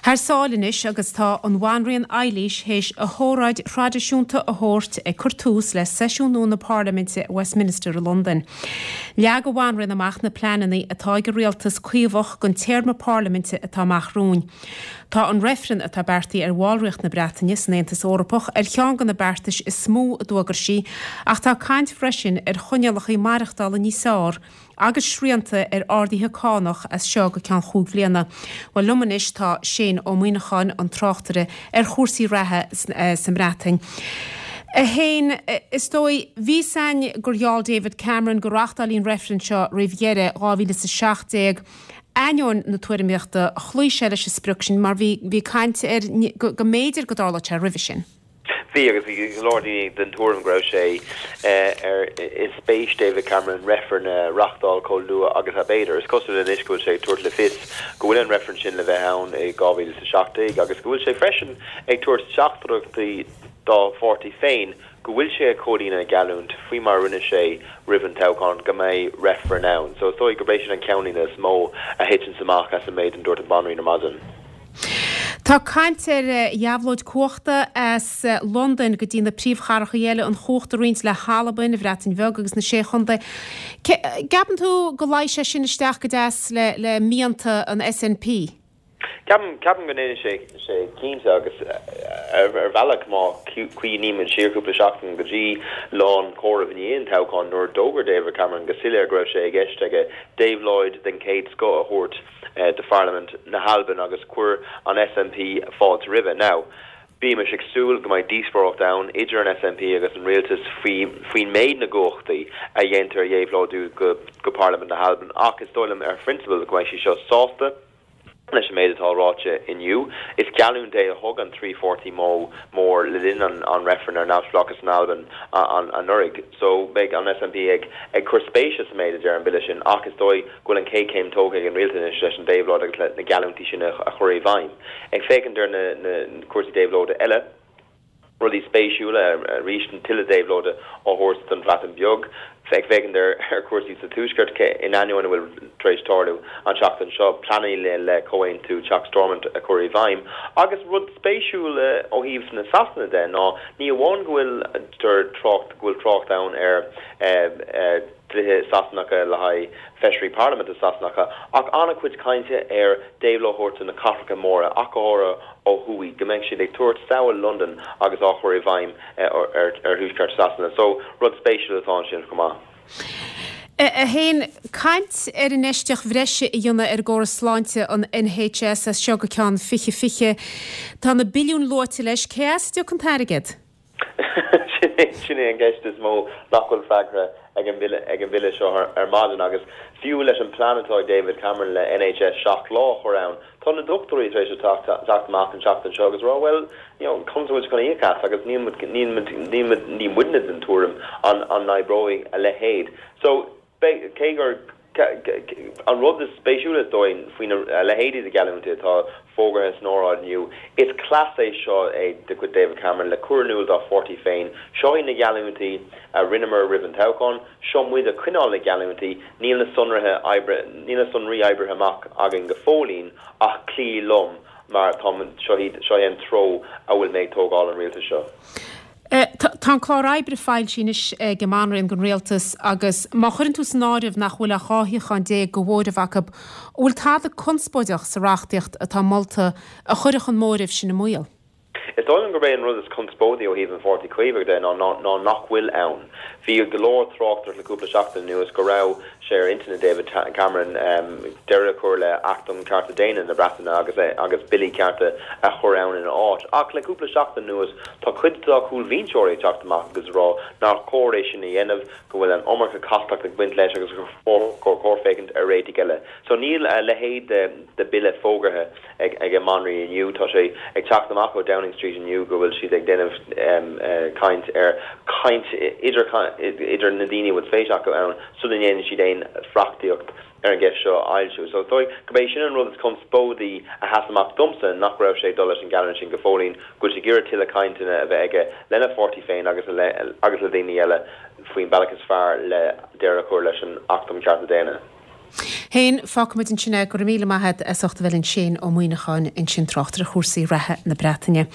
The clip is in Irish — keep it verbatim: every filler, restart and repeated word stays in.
Thar sáile anois agus tá an Bhanríon Eilís théis a hóráid thraidisiúnta a thabhairt ag cur tús le seisiún nua na Parlaiminte Westminster i Londain. Leag an Bhanríon amach na pleananna atá ag an rialtas caomhach don téarma parlaiminte atá amach romhainn. Tá an reifreann atá beartaithe ar bhallraíocht na Breataine san Aontas Eorpach ar cheann de na beartais is mó a d'fhógair sí, ach tá caint freisin ar choinníollacha maireachtála níos fearr agus srianta ar arduithe cánach as seo go ceann cúig bliana. Well liom anois tá Shane Ó Muíneacháin an tráchtaire ar chúrsaí reatha sa mBreatain. A Shéain is dóigh bhí a fhios againn gur gheall David Cameron go reáchtálfaí an reifreann seo roimh dheireadh dhá mhíle is a seacht déag. Ainneoin na tuairimíochta chloígh sé leis an sprioc sin mar bhí bhí caint ar go mb'fhéidir go dtarlódh sé roimhe sin. Bhí agus bhí go leor daoine den tuairim go raibh sé ar i spéis David Cameron reifreann a reáchtáil chomh luath agus ab fhéidir. Is cosúil anois go bhfuil sé ag tabhairt le fios go bhfuil an reifreann sin le bheith ann i dhá mhíle is a seacht déag agus go bhfuil sé freisin ag tabhairt teachtaireachtaí dá pháirtí féin go bhfuil sé ag comhlíonadh a gheallúint faoi mar a rinne sé roimh an toghchán go mbeidh reifreann ann. So is dóigh gurb é sin an ceannlíne is mó a thiteann amach as an méid a dúirt an Bhanríon ar maidin. Tá caint ar dhéabhlóid cumhachta as Londain go dtí na príomhchathracha eile an chumhacht a roinnt le hAlbain, an Bhreatain Bheag agus na Sé Chontae. Ceapann tú go luífeadh sé sin isteach go deas le le mianta an SNP? Ceapaim ceapaim go ndéanann sé sé cinnte agus ar ar bhealach má cuimhnímid siar cúpla seachtain go dtí lá an chomhairimh i ndiaidh an toghcháin nuair a d'fhógair David Cameron go soiléir go raibh sé i gceist aige déabhlóid den chéad scoth a thabhairt de Pharlaimint na hAlban agus chuir an SNP fáilte roimhe. Now, bímis ag súil go mbeidh díospóireacht ann idir an SNP agus an rialtas faoi faoin méid na gcumhachtaí a dhéantar a dhéabhlóidiú go go Parlaimint na hAlban ach is dóigh liom ar phrionsabal go mbeidh sí seo sásta leis an méid atá ráite inniu. Is geallúint é a thug an trí pháirtí mó mór le linn an an reifreann ar neamhspleáchas in Albain an anuraidh. So beidh an SNP ag ag cur spéise sa méid a deir an bille sin ach is dóigh go bhfuil an chéad chéim tógtha ag an rialtas leis an déabhlóid agus le na geallúintí sin a chur i bhfeidhm. Ag féachaint ar na na cúrsaí déabhlóide eile, rudaí spéisiúla arís an tuilleadh déabhlóide á thabhairt don Bhreatain Bheag, ag féachaint ar ar chúrsaí sa Tuaisceart in ainneoin a bhfuil tar éis tarlú an tseachtain seo, pleananna le le comhaontú Teach Stormont a chur i bhfeidhm. Agus rud spéisiúil ó thaobh na Sasana de ná ní amháin go bhfuil trácht go bhfuil trácht ann ar dlíthe Sasanacha le haghaidh feisirí parlaiminte Sasanacha, ach an-chuid cainte ar déabhlóid a thabhairt do na cathracha móra ach go háirithe ó thuaidh, go mbeidh siad ag tabhairt samhail Londain agus á chur i bhfeidhm ar ar thuaisceart Sasana. So rud spéisiúil atá ansin chomh maith. A Shéain, caint ar infheistíocht bhreise a dhéanamh ar an gcóras sláinte an NHS as seo go ceann fiche fiche. Tá na billiúin luaite leis, cé as a dtiocfaidh an t-airgead? Sin é an gceist is mó nach bhfuil freagra ag an bhille ag an bhille seo ar maidin agus fiú leis an plean atá ag David Cameron le NHS seacht lá a chur ann, tá na dochtúirí tar éis teacht teacht amach an seachtain seo agus rá well you know conas bhfuil chun íoc as agus níl níl níl ní muidne den tuairim an an n-oibreoidh a leithéid. So cé gur an rud is spéisiúla is dóigh faoin a leithéidí de gheallúintí atá fógartha san óráid inniu, is cleas é seo é de chuid David Cameron le cur in iúl dá pháirtí féin, seo iad na geallúintí a rinneamar roimh an toghchán, seo muid ag coinneáil na geallúintí, níl na sonraithe oibre níl na sonraí oibrithe amach againn go fóillín ach cloí liom mar tá seo seo é an treo a bhfuil mé ag tógáil an rialtas seo. Tá an clár oibre foilsithe anois ag an mBanríon don rialtas agus má chuireann tú san áireamh nach bhfuil ach dhá shuíochán déag de mhóramh acu, an bhfuil tada conspóideach sa reachtaíocht atá molta a chuirfeadh an móramh sin i mbaol? Is dóigh liom gurb é an rud is conspóidí ó thaobh an Pháirtí Caomhach de ná ná nach bhfuil ann. Bhí go leor tráchtaireacht le cúpla seachtain anuas go raibh sé ar intinn David Cameron deireadh a chur le Acht um Cearta Daonna na Breataine agus agus billí cearta a chur ann ina áit. Ach le cúpla seachtain anuas tá cuid dá chúlbhinseoirí ag teacht amach agus rá nár chóir é sin a dhéanamh, go bhfuil an iomarca castacht ag baint leis agus gur chóir féachaint ar réitigh eile. So níl a leithéid de de bille fógartha ag ag an mBanríon inniu. Tá sé ag teacht amach ó Downing Street inniu go bhfuil siad ag déanamh caint ar caint idir idir na daoine a bhfuil spéis acu ann sula ndéanann siad aon reachtaíocht ar an gceist seo a fhoilsiú. So dóigh gurb é sin an rud is conspóidí a sheas amach domsa nach raibh sé ag dul leis an gceann sin go fóillín, go bhfuil sé ag iarraidh tuilleadh cainteanna a bheith aige lena pháirtí féin agus le agus le daoine eile faoin bealach is fearr le deireadh a chur leis an Acht um Cearta Daonna. Fhéin fágfaimid ansin é go raibh míle maith agat as ucht a bheith linn Shane Ó Muíneacháin ansin tráchtaire chúrsaí reatha na Breataine.